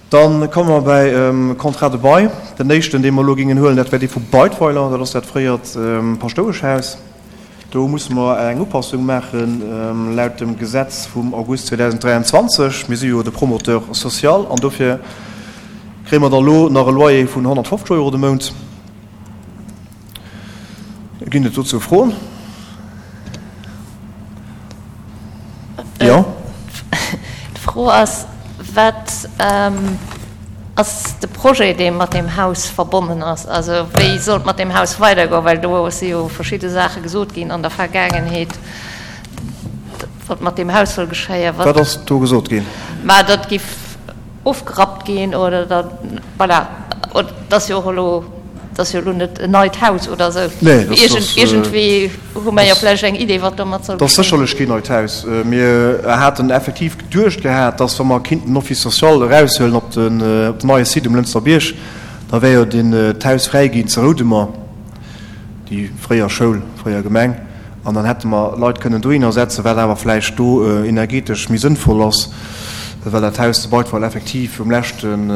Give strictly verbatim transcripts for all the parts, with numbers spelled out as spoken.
Dann komme mer bäi Contrat de bail. Den éischten, dee mer elo géingen huelen, dat wär dee vu Beidweiler. Dat ass dat fréiert Paschtoueschhaus. Do musse mer eng Upassung maache laut dem Gesetz vum August zweedausenddräianzwanzeg. Mir si jo de Promoteur social an dofir kréie mer da lo nach e Loyer vun honnertfofzeg Euro de Mount. Ginn et dozou Froen? Jo. D'Fro ass, Wat ass de Projet, dee mat deem Haus verbonnen ass? Also wéi soll et mat deem Haus weidergoen? Well do si jo verschidde Saache gesot ginn an der Vergaangenheet, wat mat deem Haus soll geschéien. Wat ass do gesot ginn? Mä datt giff ofgerappt ginn oder datt, voilà, et ass jo och elo, et ass jo elo net en neit Haus oder esou. Nee, dat ass. Iergendwéi hu mer jo vläicht eng Idee, wat domat soll geschéien. Dat ass sécherlech keen neit Haus. Mir haten effektiv geduecht gehat, dass, wa mer kinnten den Office social eraushuelen op den neie Site um Lënster Bierg, da wär jo den d'Haus fräi ginn zu Roudemer, déi fréier Schoul, fréier Gemeng, an dann hätte mer Leit kënnen dohinner setzen, wat awer vläicht do energetesch méi sënnvoll ass, well dat Haus zu Beitweiler effektiv um leschten,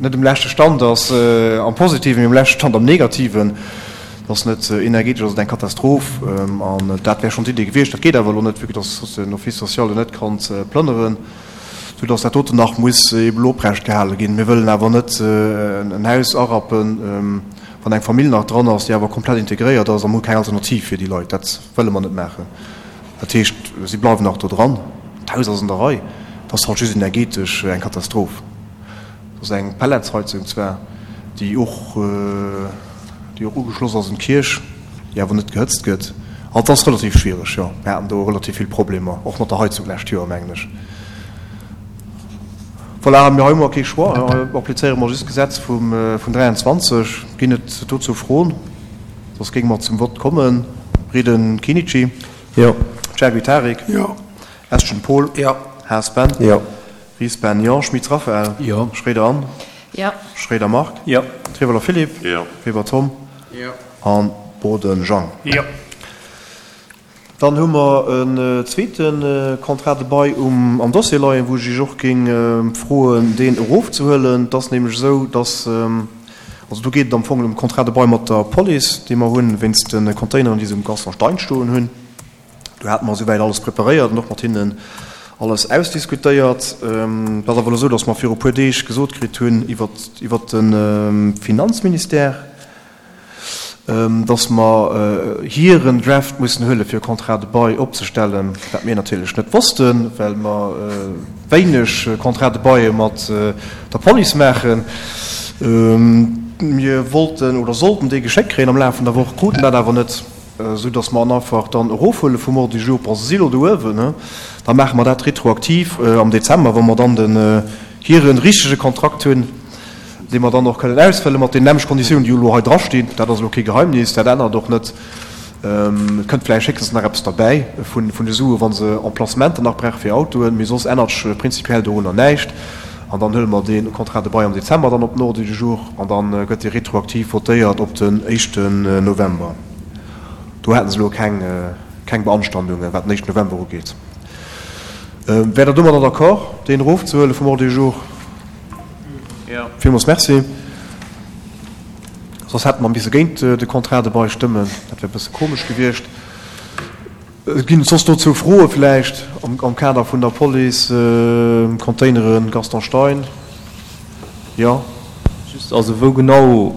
net um leschte Stand ass am Positiven, mee um leschte Stand am Negativen. Et ass net energetesch ass et eng Katastroph. An dat wär schonn d'Idee gewiescht. Dat geet awer elo net, vue que dass den Office social do net kann plënneren, soudass dat doten nach muss eeben elo oprecht gehale ginn. Mir wëllen awer net en Haus arappen, wann eng Famill nach dran ass, déi awer komplett integréiert ass, a mir hu keng Alternativ fir déi Leit. Dat wëlle mer net maachen. Dat heescht, si bleiwen nach do dran. D'Haus ass an der Rei. Et ass halt just energetesch eng Katastroph. Dat ass eng Pelletsheizung zwar, déi och, déi och ugeschloss ass un d'Kierch, déi awer net gehëtzt gëtt. Also et ass relativ schwiereg, jo. Mir haten do relativ vill Problemer, och mat der Heizung d'lescht Joer, mengen ech. Voilà, mir hei hu mer kee Choix, hei applizéiere mer just d'Gesetz vum, vun dräianzwanzeg. Ginn et dozou Froen? Soss géinge mer zum Vott kommen. Reden Kinnici. Jo. Chergui Tarik. Jo. Estgen Paul. Jo. Haas Ben. Jo. Ries Ben, jo. Schmitz Raphaël. Jo. Schroeder Anne. Jo. Schroeder Marc. Jo. Trieweler Philippe. Jo. Weber Tom. Jo. An Boden Jean. Jo. Dann hu mer en zweete Contrat de bail um am Dossier leien, wou ech Iech och géing froen, deen erofzehuelen. Et ass nämlech esou, dass, also do geet et am Fong ëm e Contrat de bail mat der Police, dee mer hunn wéinst de Containeren, déi se um Gaston Stein stoen hunn. Do hate mer esouwäit alles preparéiert an och mat hinnen alles ausdiskutéiert. Et ass awer elo esou, datt mer viru e puer Deeg gesot kritt hunn iwwert de Finanzministère, datt mer hiren Draft mussen huele fir e Contrat de bail opzestellen, wat mir natierlech net wossten, well mer wéineg Contrats de baile mat der Police maachen. Mir wollten oder sollten déi geschéckt kréien am Laf vun der Woch, kruten dat awer net. Esou dass mer en einfach dann erofhuele vum Ordre du jour, bon, se si elo do uewen, he, da maache mer dat retroaktiv am Dezember, wa mer dann den hire richtege Kontrakt hunn, dee mer dann och kënnen ausfëlle mat deenen nämmleche Konditiounen, déi jo elo hei drastinn. Dat ass elo kee Geheimnis, dat ännert och net. Et kënnt vläicht héchstens nach eppes derbäi vun de Sue wa se Emplacementer nach brauche fir Autoen, mee soss ännert sech prinzipiell dorunner näischt. An dann huele mer dee Contrat de bail am Dezember dann op den Ordre du jour an da gëtt dee retroaktiv votéiert op den éischten November. Do haten se elo keng, keng Beanstandungen, wat den éischten November ugeet. Wäert Der domadder d'accord, deen erofzehuele vum Ordre du jour? Jo. Villmools Merci. Soss hätte mer misse géint de Contrat de bail stëmmen. Dat wär e bësse komesch gewiescht. Ginn et soss dozou Froe vläicht am Kader vun der Police, Containeren, Gaston Stein? Jo. Just, also wou genau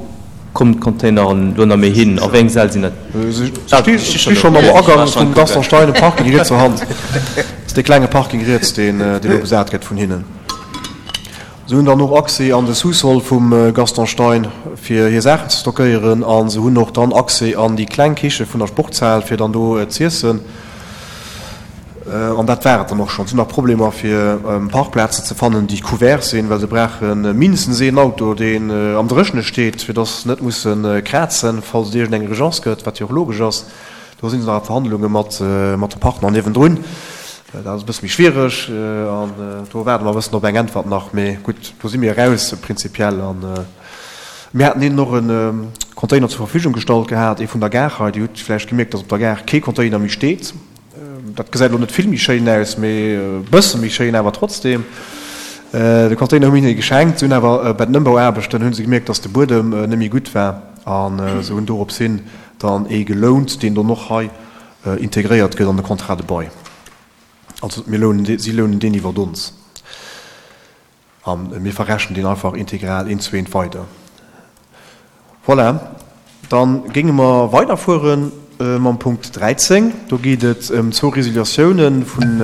kommen d'Containeren elo nach méi hin? A wéi eng Säll sinn dat? Se sti schonn am Agang vum Gaston Stein um Parking riets der Hand. Dat ass dee klenge Parking riets, deen elo besat gëtt vun hinnen. Se hunn dann och Accès an de Sous-sol vum Gaston Stein, fir hir Saachen ze stockéieren. A se hunn och dann Accès an déi kleng Kiche vun der Sportshal, fir dann do z'iessen. An dat war et dann och schonn. Se hunn nach Problemer, fir Parkplazen ze fannen, déi couvert sinn, well se brauche mindestens een Auto, deen am Dréchene steet, fir dass se net musse krazen, falls et iergendeng Urgence gëtt, wat jo och logesch ass. Do si se nach a Verhandlunge mat de Partner niewendrun. Dat ass e bësse méi schwiereg an do waarde mer e bëssen op eng Äntwert nach. Mee gutt, do si mir eraus prinzipiell. A mir haten hinnen och e Container zur Verfügung gestallt gehat, ee vun der Gare hei. Dir hutt vläicht gemierkt, datt op der Gare kee Container méi steet. Dat gesäit elo net vill méi schéin aus, mee e bësse méi schéin awer trotzdeem. De Container hu mir hinne geschenkt. Si hunn awer bei den Ëmbauaarbechten hu se gemierkt, dass de Buedem net méi gutt war a se hunn dorops hin dann ee gelount, deen dann och hei integréiert gëtt an de Contrat de bail. Also mir lounen dee, si lounen deen iwwert ons a mir verrechnen deen einfach integral eent zu eent weider. Voilà, da géinge mer weiderfuere mam Punkt dräizéng. Do geet et ëm zwou Resiliatiounen vun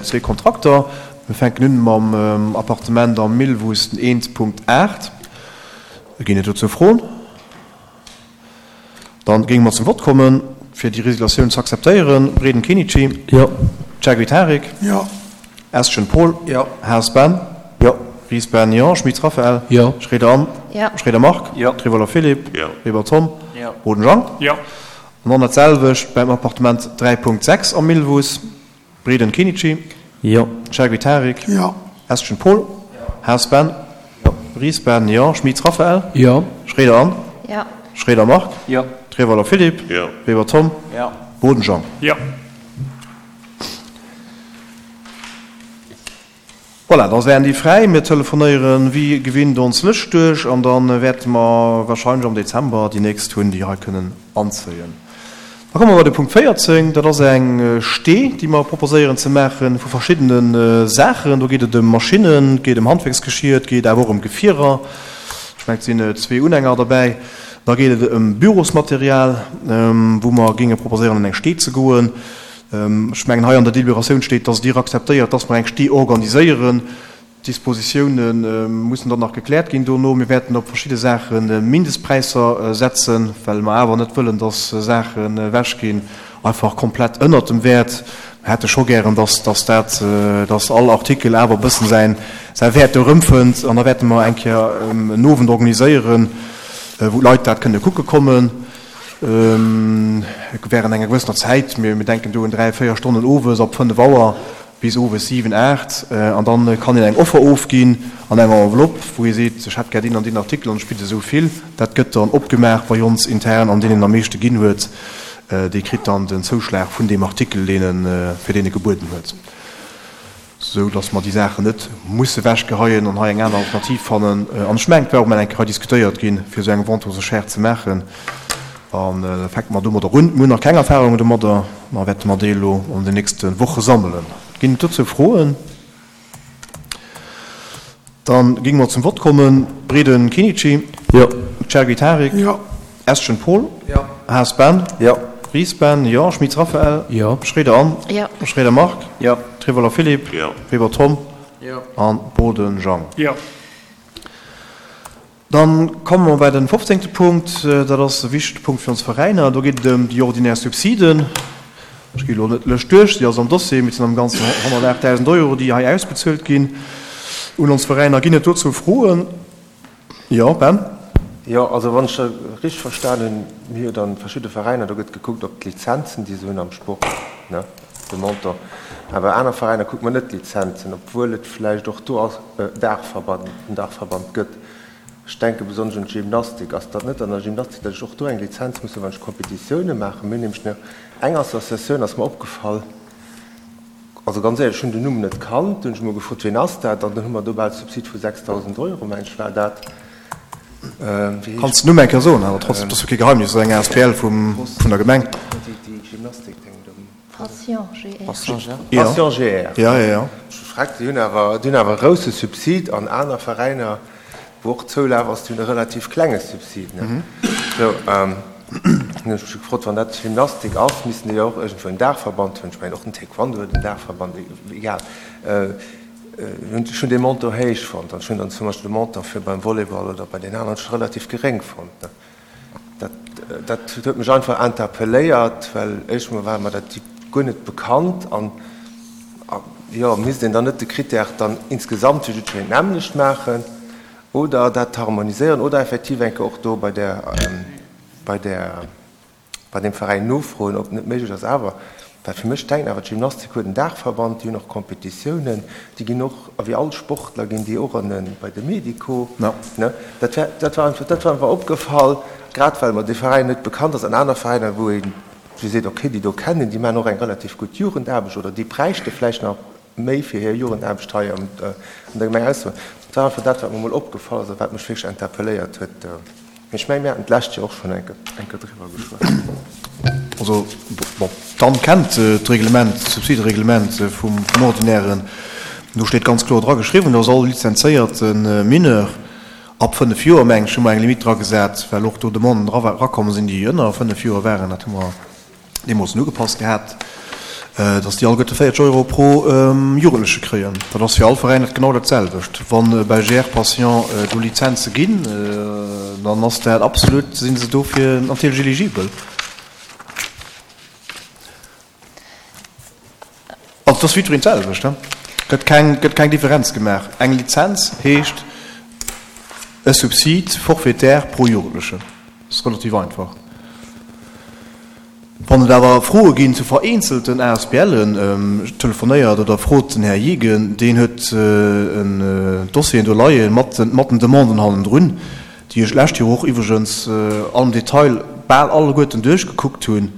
zwee Kontrakter. Mir fänken un mam Appartement am Millwuss, den eent Punkt aacht. Ginn et dozou Froen? Dann géinge mer zum Vott kommen, fir déi Resiliatioun ze akzeptéieren. Breden Kenichi. Jo. Chergui Tarik. Jo. Eschen Paul. Jo. Haas Ben. Jo. Ries Ben, jo. Schmitz Raphaël. Jo. Schroeder Anne. Jo. Schroeder Marc. Jo. Trevoller Philippe. Jo. Weber Tom. Jo. Boden Jean. Jo. An dann dat selwecht beim Appartement dräi Punkt sechs am Millwuss. Breden Kenichi. Jo. Chergui Tarik. Jo. Eschen Paul. Haas Ben. Jo. Ries Ben, jo. Schmitz Raphaël. Jo. Schroeder Anne. Jo. Schroeder Marc. Jo. Trevoller Philippe. Jo. Weber Tom. Jo. Boden Jean. Jo. Voilà, da wären déi fräi. Mir telefonéieren wéi gewinnt ons Lëscht duerch an da wäerte mer wahrscheinlech am Dezember déi nächst hunn, déi hei kënnen anzéien. Da komme mer bei de Punkt véierzéng. Dat ass eng Stee, déi mer proposéieren ze maache vu verschiddene Saachen. Do geet et ëm Maschinnen, et geet ëm Handwierksgeschir, et geet awer och ëm Gefierer. Ech mengen, et sinn zwee Unhänger derbäi. Da geet et ëm Bürosmaterial, wou mer géinge proposéieren, an eng Stee ze goen. Ech mengen, hei an der Deliberatioun steet, dass Dir akzeptéiert, dass mer eng Stee organiséieren. D'Dispositioune mussen dann nach gekläert ginn dono. Mir wäerten op verschidde Saache Mindestpräisser setzen, well mer awer net wëllen, dass Saachen ewechginn, einfach komplett ënnert dem Wäert. Mer hätte scho gären, dass, dass dat, dass all Artikel awer e bëssen säin, säi Wäert do erëmfënnt. An da wäerte mer eng Kéier en Owend organiséieren, wou d'Leit dat kënne kucke kommen. Während enger gewëssener Zäit, mir denken do un dräi, véier Stonnen owes ab fënnef Auer bis owes siwen, aacht, an dann kann een eng Offer ofginn an enger Enveloppe, wou ee seet, ech hätt gär deen an deen Artikel an ech bidde esou vill. Dat gëtt dann opgemaach bei ons intern an deen, deen am meeschte ginn huet, dee kritt dann den Zouschlag vun deem Artikel, deen en, fir deen e gebueden huet. Sou dass mer déi Saachen net musse wechgeheien an hei eng aner Alternativ fannen. An ech mengen, et war och mol eng Kéier hei diskutéiert ginn, fir esou eng Vente aux enchères ze maachen. An da fänke mer domadder un. Mir hunn nach keng Erfahrungen domadder, ma wäerte mer déi elo an den nächste Woche sammelen. Ginn et dozou Froen? Da géinge mer zum Vott kommen. Breden Kenichi. Jo. Chergui Tarik. Jo. Eschen Paul. Jo. Haas Ben. Jo. Ries Ben, jo. Schmitz Raphaël. Jo. Schroeder Anne. Jo. Schroeder Marc. Jo. Trevoller Philippe. Jo. Weber Tom. Jo. An Boden Jean. Jo. Dann komme mer bei den fofzéngte Punkt. Dat ass e wichtege Punkt fir ons Veräiner. Do geet et ëm déi ordinär Subsiden. Ech gi elo net d'Lëscht duerch, déi ass am Dossier, mee et sinn am Ganzen honnertaachtdausend Euro, déi hei ausbezuelt ginn un ons Veräiner. Ginn et dozou Froen? Jo, Ben? Jo, also wann ech dat richteg verstan hunn, mir hu jo dann verschidde Veräiner, do gëtt gekuckt op d'Lizenzen, déi se hunn am Sport, ne, de Montant. Awer aner Veräiner kuckt mer net d'Lizenzen, obwuel et vläicht och do Daachverband, en Daachverband gëtt. Ech denke besonnesch un d'Gymnastik. Ass dat net an der Gymnastik, datt ech och do eng Lizenz muss hunn, wann ech Kompetitioune maachen? Mir hunn nämlech eng Associatioun, ass mer opgefall, also ganz éierlech, ech hunn den Numm net kannt, du hunn ech emol gefrot, wien ass dat? An dann hu mer do bal e Subsid vu sechstausend Euro, meng ech war dat. Kanns den Numm eng Kéier soen, awer trotzdem, dat ass jo kee Geheimnis, dat ass eng asbl vum, vun der Gemeng. Passion G R. Passion G R. Ja, ja, ja. Ech gefragt, déi hunn awer, déi hunn awer e grousse Subsid an aner Veräiner, wou och Zoulaf ass, déi hunn e relativ klenge Subsid. Sou, dann hunn ech mech gefrot, wann dat Gymnastik ass, missten déi jo och iergendwou en Daachverband hunn. Ech mengen, och den Taekwondo huet en Daachverband, egal. Ech hunn dee Montant héich fonnt an ech hunn dann zum Beispill de Montant fir beim Volleyball oder bei den aneren scho relativ geréng fonnt. Dat, dat huet mech einfach interpelléiert, well éischt mol war mer dat guer net bekannt an, jo, misst een dann net de Critère dann insgesamt fir jiddwereen d'nämmlecht maachen oder dat harmoniséieren oder effektiv eng Kéier och do bei där, bei där, bei deem Veräin nofroen, ob et net méiglech ass awer, well fir mech denken awer, d'Gymnastik huet en Daachverband, déi hunn och Kompetitiounen, déi ginn och, wéi all Sportler ginn déi och an e, bei de Medico, ne? Dat wär, dat war einfach, dat war einfach opgefall, grad well mer dee Veräin net bekannt ass an aner Veräiner, wou ee sou seet, okay, déi do kennen, déi maachen och eng relativ gutt Jugendaarbecht oder déi bräichte vläicht nach méi fir hir Jugendaarbecht hei an der Gemeng aussoen. Dat war einfach dat, wat mer emol opgefall ass a wat mech wierklech interpelléiert huet. Mee ech mengen, mir haten d'lescht Joer och schonn eng Kéier driwwer geschwat. Also, bon, d'Anne kennt d'Reglement, d'Subsidereglement vum Ordinären. Do steet ganz kloer dra geschriwwen, dass all lizenzéierte Mineur ab fënnef Joer, mengen ech, hu mer eng Limite dragesat, well och do Demanden erakomm sinn, déi ënner fënnef Joer waren, dat hu mer deemools ugepasst gehat, dass déi alleguerte véierzeg Euro pro Jugendleche kréien. Dat ass fir all Veräin dat genau dat selwecht. Wa bei G R Patient do Lizenze ginn, dann ass dat absolut, si se dofir natierlech eligibel. Also et ass fir jiddwereen d'selwecht, gëtt keng, gëtt keng Differenz gemaach. Eng Lizenz heescht e Subsid forfaitaire pro Jugendlechen. Dat ass relativ einfach. Wann et awer Froe ginn zu vereenzelten A S B Len, telefonéiert oder frot den Här Jegen, deen huet en Dossieren do leien mat den Demanden hannendrun, déi ech d'lescht Joer och iwwregens am Detail bal alleguerten duerchgekuckt hunn,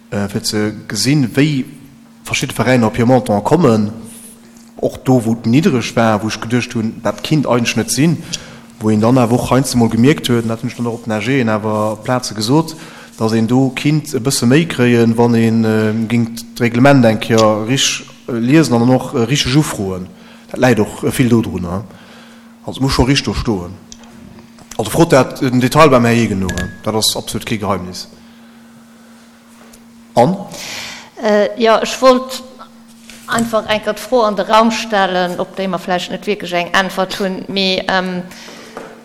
fir ze gesinn, wéi verschidde Veräiner op hir Montant kommen, och do, wou et niddreg war, wou ech geduecht hunn, dat kinnt eigentlech net sinn, wou een dann awer och heiansdo mol gemierkt huet, an dat hunn ech dann och op den A Gen awer op Plaze gesot, dass een do kinnt e bësse méi kréien, wann ee géing d'Reglement eng Kéier rich liesen an dann och richteg ufroen. Dat läit och vill dodrunner. Also et muss scho rich do stoen. Also frot dat den Detail beim Här Jegen no, dat ass absolut kee Geheimnis. An? Jo, ech wollt einfach eng Kéier d'Fro an de Raum stellen, op déi mer vläicht net wierklech eng Äntwert hunn, mee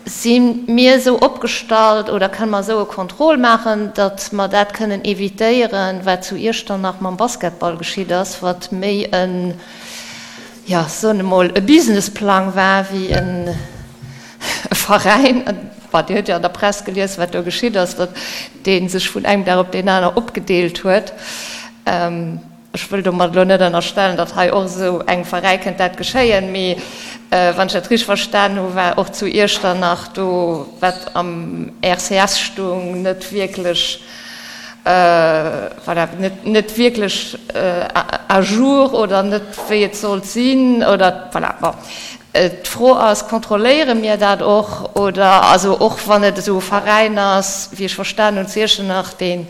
si mir esou opgestallt oder kënne mer esou e Contrôle maachen, datt mer dat kënnen évitéieren, wat zu Iechternach mam Basketball geschitt ass, wat méi en, jo, soen emol, e Businessplang war wéi e Veräin. Bon, Dir hutt jo an der Press gelies, wat do geschitt ass, datt dee sech vun engem Dag op deen aner opgedeelt huet. Ech wëll domat elo net ënnerstellen, datt hei och esou engem Veräi kënnt dat geschéien, mee wann ech dat richteg verstan hu, war och zu Iechternach do, wat am R C S stung, net wierklech, voilà, net, net wierklech à jour oder net wéi et sollt sinn oder voilà, bon. D'Fro ass, kontrolléiere mir dat och oder, also och wann et esou e Veräin ass, wéi ech verstan hunn, zu Iechternach, deen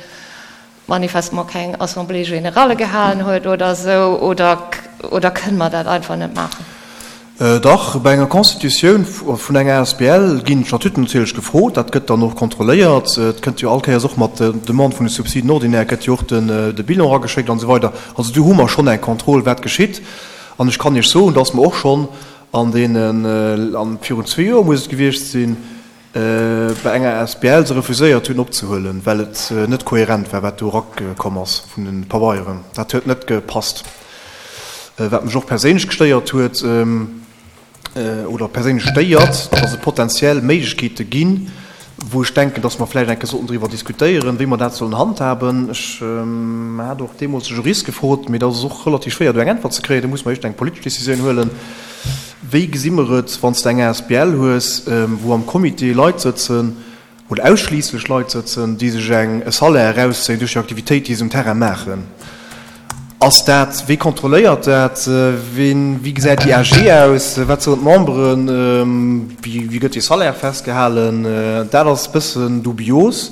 manifestement keng Assemblée générale gehalen huet oder esou, oder, oder kënne mer dat einfach net maachen? Dach, bei enger Constitutioun vun enger A S B L ginn d'Statuten natierlech gefrot, dat gëtt dann och kontrolléiert. Et kënnt jo all Kéiers och mat der Demande vun de Subsiden ordinaire gëtt jo och de Bilan erageschéckt an esou weider. Also do hu mer schonn eng Kontroll, wat geschitt. An ech kann Iech soen, dass mer och schonn an deenen, an virun zwee Joer muss et gewiescht sinn, bei enger A S B L se refuséiert hunn opzehuelen, well et net kohärent war, wat do erakomm ass vun de Pabeieren. Dat huet net gepasst. Wat mech och perséinlech gestéiert huet, oder perséinlech stéiert, dass et potenziell Méiglechkeete ginn, wou ech denken, dass mer vläicht eng Kéier sollten driwwer diskutéieren, wéi mer dat sollen handhaben. Ech hat och deemools de Jurist gefrot, mee dat ass och relativ schwéier, do eng Äntwert ze kréien. Do muss mer éischt eng politesch Décisioun huelen. Wéi gesi mer et, wann s de eng A S B L hues, wou am Comité Leit sëtzen, oder ausschliisslech Leit sëtzen, déi sech eng e Salaire erauszéien duerch déi Aktivitéit, déi se um Terrain maachen? Ass dat, wie kontrolléiert dat, wien, wéi gesäit déi A G aus, wat soen d'Memberen, wéi, wéi gëtt dee Salaire festgehalen? Dat ass e bëssen dubios.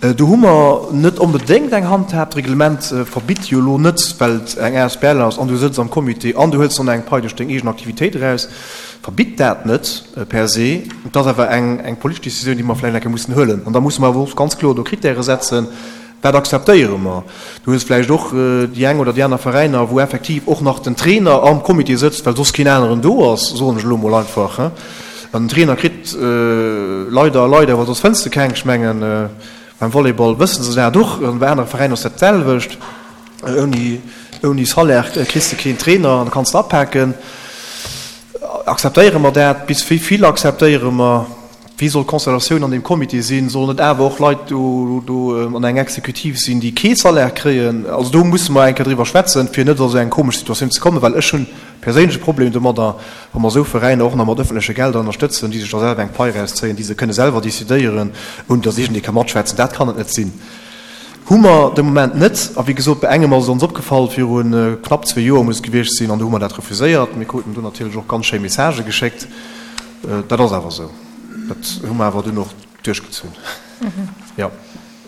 Do hu mer net onbedéngt eng Handhab. D'Reglement verbitt jo elo net, well et eng A S B L ass an du sëtz am Comité an du huels dann eng Pai duerch deng eegen Aktivitéit eraus, verbitt dat net per se. Et ass awer eng, eng politesch Décisioun, déi mer vläicht eng Kéier mussen huelen. An da musse mer awer och ganz kloer do Kritäre setzen, Wat akzeptéiere mer? Du hues vläicht och déi eng oder déi aner Veräiner, wou effektiv och nach den Trainer am Comité sëtzt, well soss keen aneren do ass, soen ech elo mol einfach. An den Trainer kritt leider, leider, well soss fënns de keng, ech mengen, beim Volleyball wësse se dat och, an bei anere Veräiner ass dat d'selwecht, ouni, ouni Salaire kriss de keen Trainer an da kanns de apaken. Akzeptéiere mer dat? Bis wéi vill akzeptéiere mer? Wéi soll d'Constellatioun an deem Comité sinn? Sollen et awer och Leit do, do an eng Exekutiv sinn, déi kee Salaire kréien? Also do musse mer eng Kéier driwwer schwätzen, fir net a sou eng komesch Situatioun ze kommen, well ech hunn perséinlech e Problem domadder, wa mer esou Veräiner och nach mat öffentleche Gelder ënnerstëtzen, déi sech da selwer eng Pai erauszéien, déi se kënne selwer décidéieren, ouni datt iergendee ka matschwätzen. Dat kann et net sinn. Hu mer de Moment net. A wéi gesot, bei engem ass et ons opgefall, viru knapp zwee Joer muss et gewiescht sinn, an do hu mer dat refuséiert. Mir kruten do natierlech och ganz schéi Messagë geschéckt. Dat ass awer esou. Dat hu mer awer dunn och duerchgezunn. Jo,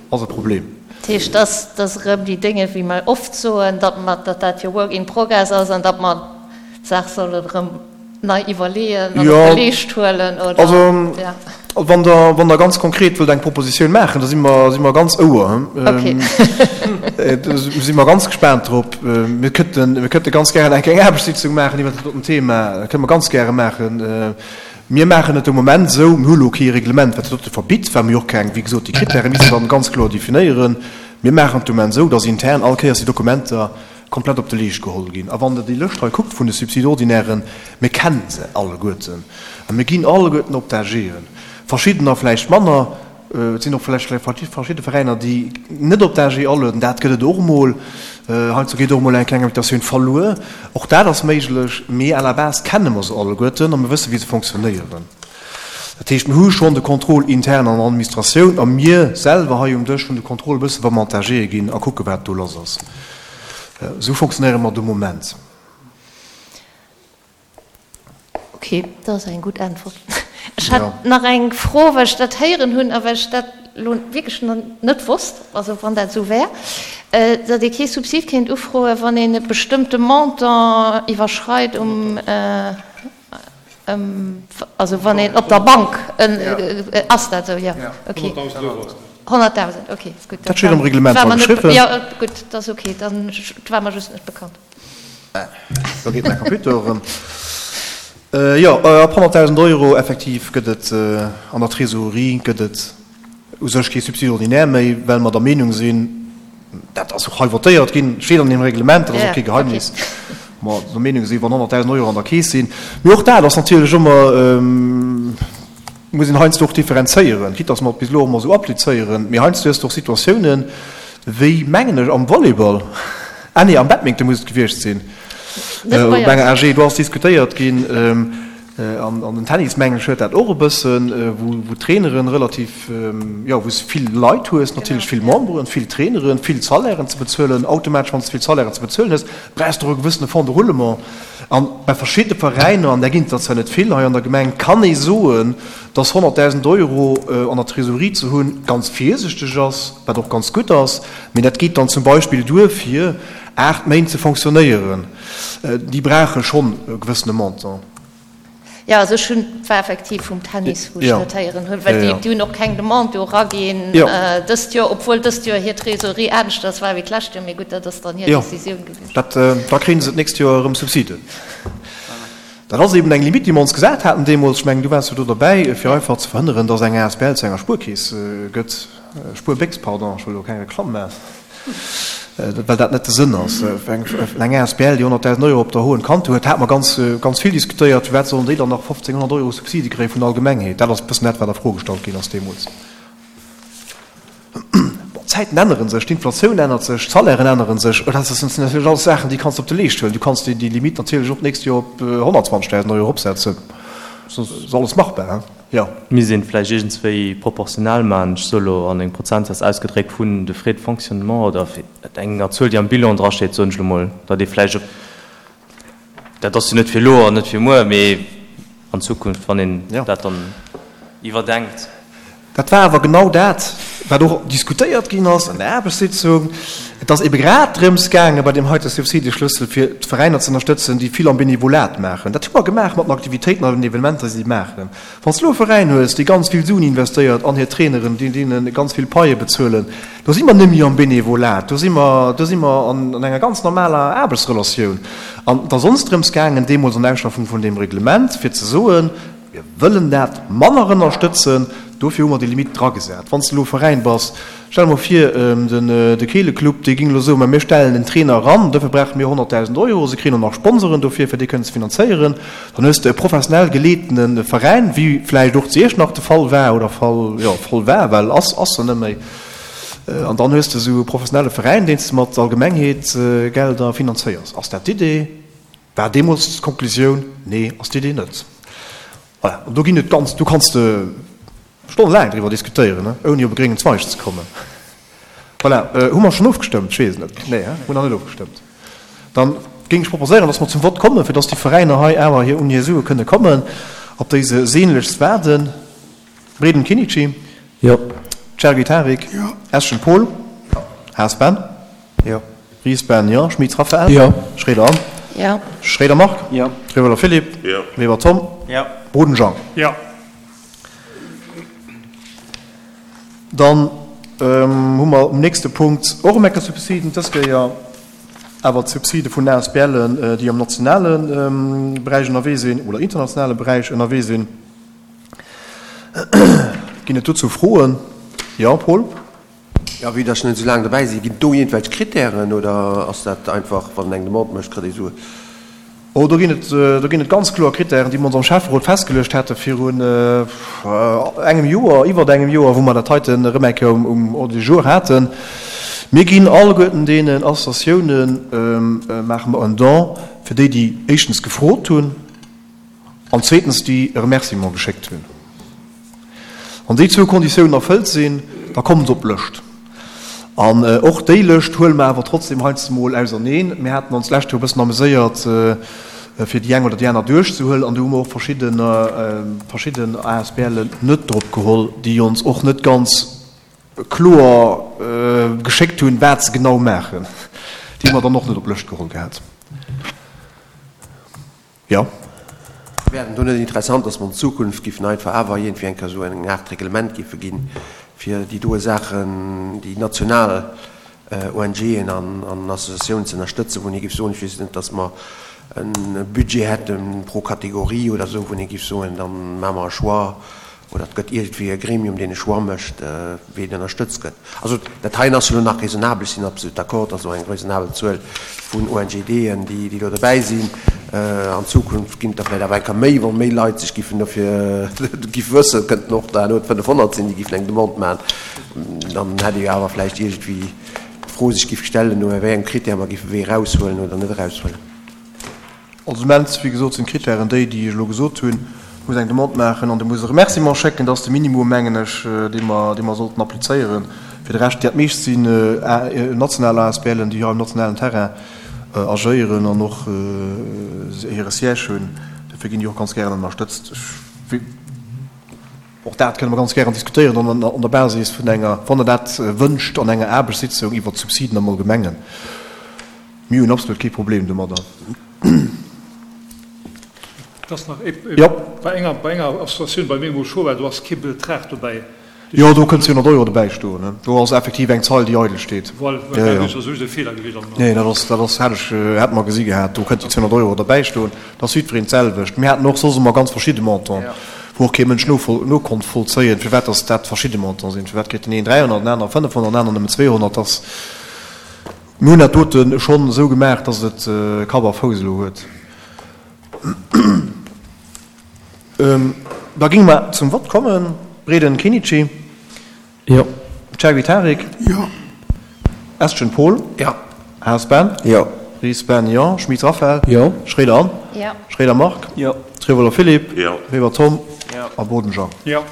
ass e Problem. Dat heescht, dass dass erëm déi Dénge, wéi mer oft soen, datt mer, datt dat jo work in progress ass an datt mer d'Saach sollen erëm nei iwwerleeën an op de Leescht huelen, oder? Also, wann Der, wann Der ganz konkret wëllt eng Propositioun maachen, da si mer, si mer ganz Ouer. Okay. Do si mer ganz gespaant drop. Mir kënnten, mir kënnte ganz gären eng kleng Aarbechtssitzung maachen iwwert dat doten Thema. Dat kënne mer ganz gäre maachen. Mir maachen et de Moment esou, mir hu lo kee Reglement, wat dat dote verbitt, well mir jo och keng, wéi gesot, déi Krittäre misste dann ganz kloer definéieren. Mir maachen et de Moment esou, dass intern all Kéiers déi Dokumenter komplett op de Leescht geholl ginn. A wann Der déi Lëscht hei kuckt vun de Subside-ordinairen, mir kennen se alleguerten a mir ginn alleguerten op d'AGen. Verschiddener vläicht manner, et sinn och vläicht verschidde Veräiner, déi net op d'AG alueden, dat gëtt et och emol. Heiansdo geet och emol eng kleng Invitatioun verluer, och dat ass méiglech. Mee à la base kenne mer se alleguerten a mir wësse wéi se fonctionnéieren. Dat heescht, mir hu schonn de Contrôle intern an der Administratioun a mir selwer hei um Dësch hunn de Contrôle e bësse wa mer an d'AGe ginn a kucke wat do lass ass. Esou fonctionnéiere mer de Moment. Ok, dat ass eng gutt Äntwert. Ech hat nach eng Fro, well ech dat héieren hunn a well ech dat elo wierklech net wosst, also wann dat esou wär, datt ee kee Subsid kéint ufroen, wann een e bestëmmte Montant iwwerschreit um, also wann een op der Bank, ass dat esou? Jo, ok. Honnertdausend, ok, gutt. Dat steet am Reglement dra geschriwwen. Jo, gutt, dat ass ok, dann, dat war mer just net bekannt. Da geet mäi Computer erëm. Jo, ab honnertdausend Euro effektiv gëtt et an der Trésorerie gëtt et u sech kee Subside ordinaire méi, well mer der Meenung sinn, dat ass och hei votéiert ginn, steet an deem Reglement, dat ass och kee Geheimnis, mer der Meenung sinn, wann honnertdausend Euro an der Keess sinn, mee och dat ass natierlech ëmmer, muss een heiansdo och differenzéieren, quitte dass mer et bis elo ëmmer esou applizéieren, mee heiansdo hues de och Situatiounen, wéi, mengen ech, am Volleyball, ah nee, am Badminton muss et gewiescht sinn, op enger A G, do ass diskutéiert ginn, an den Tennis, mengen ech, huet dat och e bëssen, wou d'Traineren relativ, jo, wou s de vill Leit hues, natierlech vill Memberen, vill Traineren, vill Salairen ze bezuelen. Automatesch, wann s de vill Salairen ze bezuelen hues, brauchs de och e gewëssene Fonds de roulement. An bei verschidde Veräiner, an där ginn et der zwar net vill hei an der Gemeng, kann ee soen, dass honnertdausend Euro an der Trésorerie ze hunn ganz virsichteg ass, wat och ganz gutt ass, mee dat geet dann zum Beispill duer fir aacht Méint ze fonctionnéieren. Déi brauche schonn e gewëssene Montant. Jo, also ech hunn, et war effektiv vum Tennis, wou ech dat héieren hunn, well déi, déi hunn och keng Demande do eraginn dëst Joer, obwuel dëst Joer hir Trésorerie aneschters war wéi d'lescht Joer. Mee gutt, dat ass dann hir Decisioun gewiescht. Dat, da kréie se d'nächst Joer erëm Subsiden. Dat ass eben eng Limite, déi mer ons gesat haten deemools, ech mengen, du waars jo do derbäi, fir einfach ze verhënneren, datt eng asbl zu enger Spuerkeess gëtt, Spuerbéchs, pardon, ech wëll elo keng Reklamm maachen. Well dat net de Sënn ass. Eng asbl, déi honnertdausend Euro op der hohen Kante huet, hate mer ganz, ganz vill diskutéiert, firwat sollen déi dann nach fofzénghonnert Euro Subside kréie vun der Allgemengheet? Dat ass e bëssen dat, wat a Fro gestallt ginn ass deemools. Bon, d'Zäiten ännere sech, d'Inflatioun ännert sech, d'Salairen ännere sech. Dat sinn natierlech alles Saachen, déi kanns de op de Leescht huelen. Du kanns déi Limite natierlech och d'nächst Joer op honnertzwanzegdausend Euro eropsetzen. Dat ass alles machbar. Jo. Misst een vläicht iergendswéi proportional maachen, ech soe lo an engem Prozentsaz ausgedréckt, vun de Frais de fonctionnement oder enger Zuel, déi am Bilan drasteet, soen ech elo mol, datt ee vläicht op, dat ass jo net fir elo an net fir muer, mee an Zukunft, wann een dat dann iwwerdenkt. Dat war awer genau dat, wat och diskutéiert ginn ass an der Aarbechtssitzung. Et ass ebe grad drëms gaange bei deem heite Subsideschlüssel, fir d'Veräiner ze ënnerstëtzen, déi vill am Benevolat maachen. Dat hu mer gemaach mat den Aktivitéiten an den Evenementer, déi si maachen. Wann s de elo e Veräin hues, dee ganz vill Suen investéiert an hir Traineren, déi deene ganz vill Paie bezuelen, do si mer net méi am Benevolat, do si mer, do si mer an enger ganz normaler Aarbechtsrelatioun. An et ass ons drëms gaangen, deemools an der Ausschaffung vun deem Reglement, fir ze soen, Mir wëllen dat manner ënnerstëtzen, dofir hu mer déi Limite dragesat. Wann s de elo Veräin bass, stell der mol vir, de Keeleclub, dee géing elo soen, mä mir stellen en Trainer eran, dofir brauche mir honnertdausend Euro, se kréien och nach Sponsoren dofir, fir dee kënnen ze finanzéieren, dann hues de e professionell geleetene Veräin, wéi vläicht och zu Iechternach de Fall war oder Fall, jo, Fall war, well ass, ass se net méi. An dann hues de esou e professionelle Veräin, deen s de mat Allgemengheetgelder finanzéiers. Ass dat d'Idee? War deemools d'Konklusioun, Nee, ass d'Idee net. Voilà, an do ginn et ganz, do kanns de stonnelaang driwwer diskutéieren, ouni op e gréngen Zweig ze kommen. Voilà. Hu mer schonn ofgestëmmt? Ech weess et net. Nee, hein? Hunn nach net ofgestëmmt. Dann géing ech proposéieren, dass mer zum Vott kommen, fir dass déi Veräiner hei awer hir un hir Sue kënne kommen, op déi se sehnlechst waarden. Breden Kinnici. Jo. Chergui Tarik. Jo. Eschen Paul. Jo. Haas Ben. Jo. Ries Ben, jo. Schmitz Raphaël. Jo. Schroeder Anne. Jo. Schroeder Marc. Jo. Trieweler Philippe. Jo. Weber Tom. Jo. Boden Jean. Jo. Dann hu mer um nächste Punkt och ëm eng Kéier Subsiden, dës Kéier awer d'Subside vun ASBLen, déi am nationale Beräich ënnerwee sinn oder internationale Beräich ënnerwee sinn. Ginn et dozou Froen? Jo, Paul? Jo, vue dass ech net esou laang dobäi sinn, ginn et do iergendwelch Krittären oder ass dat einfach, wann eng Demande mécht, kritt ee Suen? Oh, do ginn et, do ginn et ganz kloer Krittären, déi mer ons am Schäfferot festgeluecht hate virun engem Joer, iwwert engem Joer, wou mer dat heiten erëm eng Kéier um Ordre du jour haten. Mir ginn alleguerten deenen Associatiounen, maache mer en Don fir déi, déi éischtens gefrot hunn an zweetens déi e Remerciement geschéckt hunn. Wann déi zwou Konditiounen erfëllt sinn, da kommen se op d'Lëscht. An och déi Lëscht huele mer awer trotzdem heiansdo mol auserneen. Mir haten ons d'lescht Joer e bëssen ameséiert, fir déi eng oder déi aner duerchzehuelen, an do hu mer och verschidden, verschidden ASBLen net drop geholl, déi ons och net ganz kloer geschéckt hunn, wat se genau maachen. Déi hu mer dann och net op d'Lëscht geholl gehat. Jo. Wär et do net interessant, dass mer an Zukunft giffen einfach awer iergendwéi eng Kéier esou eng Aart Reglement giffe ginn, fir déi doe Saachen, déi national ONGen an Associatiounen ze ënnerstëtzen, wou een giff soen, ech weess net, dass mer e Budget hätte pro Kategorie oder esou, wou een giff soen, da maache mer e Choix oder et gëtt iergendwéi e Gremium, deen e Choix mécht, ween ënnerstëtzt gëtt. Also dat heien ass jo elo nach raisonnabel. Ech sinn absolut d'accord, dass elo eng raisonnabel Zuel vun ONGDen, déi déi do dobäi sinn. An Zukunft ginn et der vläicht awer eng Kéier méi, wa méi Leit sech giffen dofir giff wëssen. Et kënnten och der elo fënnefhonnert sinn, déi giffen eng Demande maachen. Dann hätt ee jo awer vläicht iergendwéi d'Fro sech giff stellen, no wéi engem Critère mer giffe wee eraushuelen oder net eraushuelen. Also immens, wéi gesot, sinn d'Kritären déi, déi ech elo gesot hunn. Du muss eng Demande maachen an du muss e Remerciement schécken. Dat ass de Minimum, mengen ech, dee mer, dee mer sollten applizéieren. Fir de Rescht, dat meescht sinn national ASBLen, déi hei um nationalen Terrain agéieren an och hire Siège hunn. Dofir ginn déi och ganz gären ënnerstëtzt. Ech, och dat kënne mer ganz gären diskutéieren dann an der Basis vun enger, wann Der dat wënscht, an enger Aarbechtssitzung iwwert d'Subsiden am Allgemengen. Mir hunn absolut kee Problem domadder. Et ass nach ee, Jo. bei enger, bei enger Associatioun bei mir emol scho war, do ass kee Betrag dobäi. Jo, do kënnt zweehonnert Euro dobäi stoen, ne? Do ass effektiv eng Zeil, déi eidel steet. Voilà, Jo, dat jo. ass just e Feeler gewiescht an. Nee, dat ass, dat ass, hat ech, hat mer gesi gehat, do kënnt déi zweehonnert Euro derbäi stoen. Dat ass jiddwereen d'selwecht. Mir haten och soss ëmmer ganz verschidde Montanten, wou och kee Mënsch novoll, nokonnt vollzéien, firwat dass dat verschidde Montanten sinn. Firwat kritt den een dräihonnert, den anere fënnefhonnert, den aneren nëmmen zweehonnert. Dat ass. Mir hunn dat dote schonn esou gemaach, dass et Kapp a Fouss elo huet. Da géinge mer zum Vott kommen. Breden Kinnici. Jo. Chergui Tarik. Jo. Estgen Paul. Jo. Haas Ben. Jo. Ries Ben, jo. Schmit Raphaël. Jo. Schroeder Anne. Jo. Schroeder Marc. Jo. Trieweler Philippe. Jo. Weber Tom. Jo. A Boden Jean. Jo.